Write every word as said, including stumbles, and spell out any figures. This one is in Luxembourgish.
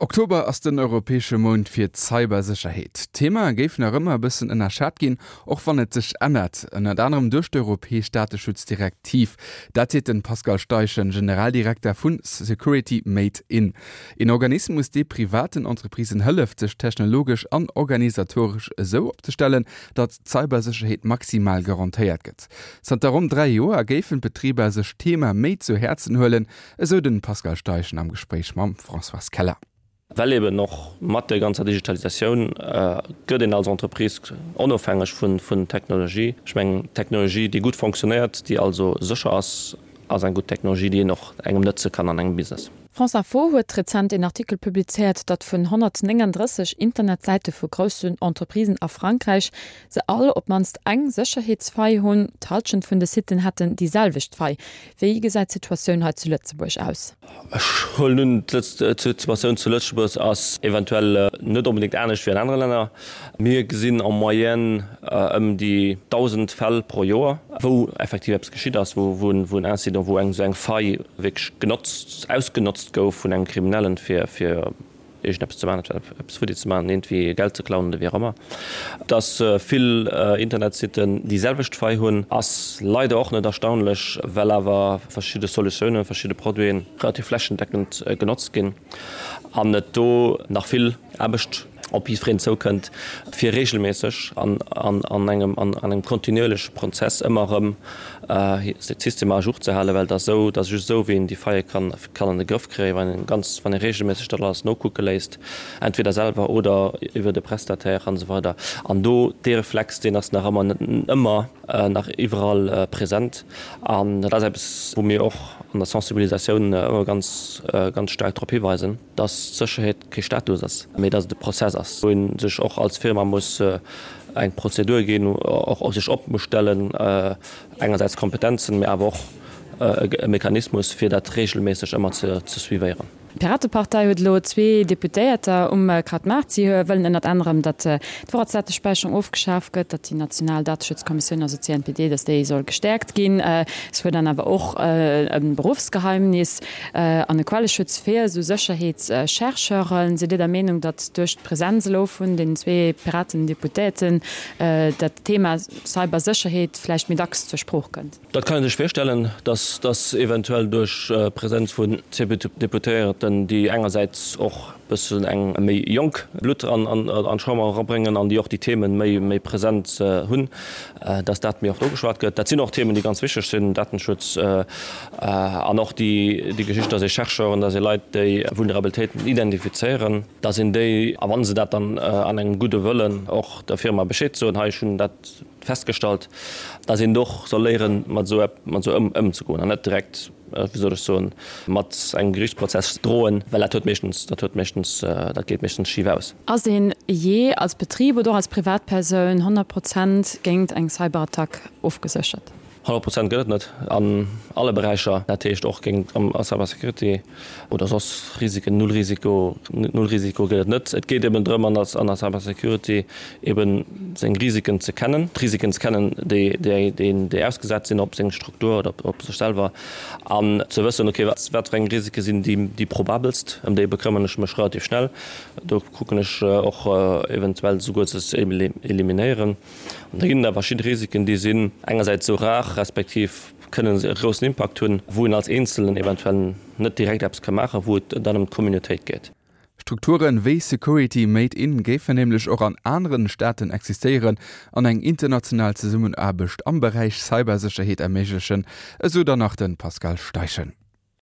Oktober ass den europäesche Mount fir d'Cybersécherheet. D'Thema géif nach ëmmer e bëssen ënnerschat ginn, och wann et sech ännert, ënnert anerem duerch d'europäesch Dateschutzdirektiv. Dat seet de Pascal Steichen, Generaldirekter vu Security Made In. Een Organismus, dee privaten Entreprisen hëlleft, sech technologesch an organisatoresch esou opzestellen, datt d'Cybersécherheet maximal garantéiert gëtt. Zanter ronn dräi Joer géifen d'Betriber sech d'Thema méi zu Häerzen huelen, esou de Pascal Steichen am Gespréich mam Françoise Keller. Well eben och mat der ganzer Digitalisatioun gëtt een als Entreprise onofhängeg vun vun Technologie. Ech mengen, Technologie, déi gutt fonctionnéiert, déi also sécher ass, ass eng gutt Technologie, déi een och engem nëtze kann an engem Business. France Info huet rezent een Artikel publizéiert, datt vun honnertnénganddrësseg Internetsäite vu groussen Entreprisen a Frankräich se all op d'mannst eng Sécherheetsfaille hunn. D'Hallschent vun de Siten hätten déi selwecht Faille. Wéi gesäit d'Situatioun hei zu Lëtzebuerg aus? Ech huelen un, d'Situatioun zu Lëtzebuerg ass eventuell net onbedéngt anescht wéi an anere Länner. Mir gesinn en moyenne ëm déi dausend Fäll pro Joer, wou effektiv eppes geschitt ass, wou en Incident, wou eng esou eng Faille wierklech genotzt, ausgenotzt gouf vun engem Kriminellen, fir iergendeppes ze maachen, eppes futti ze maachen, iergendwéi Geld ze klauen oder wéi och ëmmer. Dass vill Internetsitten déi selwecht Faille hunn, ass leider och net erstaunlech, well awer verschidde Solutiounen, verschidde Produiten relativ flächendeckend genotzt ginn an et do nach vill Aarbecht op jiddwereen zoukënnt, fir reegelméisseg an an engem an engem kontinuierleche Prozess ëmmer erëm d'Systemer à jour ze halen, well et ass esou, et ass just esou, wéi een déi Faille kann kann an de Grëff kréien, wann een ganz, wann ee reegelméisseg dat alles nokucke léisst, entweder selwer oder iwwert e Prestataire an esou weider. An do, dee Reflex, deen ass nach ëmmer net ëmmer nach iwwerall present. An dat ass eppes, wou mir och an der Sensibilisatioun ëmmer ganz, ganz staark drop hiweisen, dass d'Sécherheet kee Status ass, mee dass et e Prozess ass, wou ee sech och als Firma muss eng Prozedur ginn, och sech op muss stellen, engersäits Kompetenzen, mee awer och e Mechanismus, fir dat reegelméisseg ëmmer ze suivéieren. D'Piratepartei huet elo zwee Deputéierter um Krautmaart. Si wëllen ënnert anerem, datt d'Vorratsdatespäicherung ofgeschaf gëtt, datt déi national Dateschutzkommissioun, also d'CNPD, datt déi soll gestäerkt ginn. Si fuerderen awer och e Beruffsgeheimnis an e Quelleschutz fir esou Sécherheetschercheuren. Sidd Dir der Meenung, datt duerch d'Presenz elo vun den zwee Piraten-Deputéierten dat Thema Cybersécherheet vläicht méi dacks zur Sprooch kënnt? Dat kann ee sech virstellen, datt datt eventuell duerch d'Presenz vun C P Deputéierten, déi engersäits och e bëssen eng méi jonk Blutt an d'Chamber erabréngen an déi och déi Themen méi méi present hunn, datt dat méi oft ugeschwat gëtt. Dat sinn och Themen, déi ganz wichteg sinn, Datenschutz an och déi déi Geschicht, datt ee Chercheuren, datt ee Leit, déi Vulnerabilitéiten identifizéieren, datt een déi, a wa se dat dann an engem gudde Wëllen och der Firma Bescheed soen, hei ech hunn dat festgestallt, datt een och soll léieren, mat esou mat esou ëmzegoen an net direkt, wéi soll ech soen, mat engem Gerichtsprozess droen, well dat huet meeschtens, dat huet meeschtens, dat geet meeschtens schif aus. Ass een jee als Betrib oder och als Privatpersoun honnert Prozent géint eng Cyberattack ofgeséchert? Honnert Prozent gëtt et net an alle Beräicher, dat heescht och géint a Cybersecurity oder soss Risiken. Null Risiko, null Risiko gëtt et net. Et geet eben drëm an der an der Cybersecurity eben seng Risiken ze kennen, d'Risiken ze kennen, déi déi déi ausgesat sinn op seng Struktur oder op sech selwer an ze wëssen, okay, wat wat fir eng Risike sinn déi déi probabelst, ëm déi bekëmmern ech mech relativ schnell, do kucken ech och eventuell souguer se ze eliminéieren. An da ginn et awer verschidde Risiken, déi sinn engersäits esou rar, respektiv kënnen se e groussen Impakt hunn, wou een als Eenzelen eventuell net direkt eppes ka maachen, wou et dann ëm d'Communautéit geet. Strukturen wéi Security Made In géifen nämlech och an aneren Staaten existéieren an eng international Zesummenaarbecht am Beräich Cybersécherheet erméiglechen, esou dann nach de Pascal Steichen.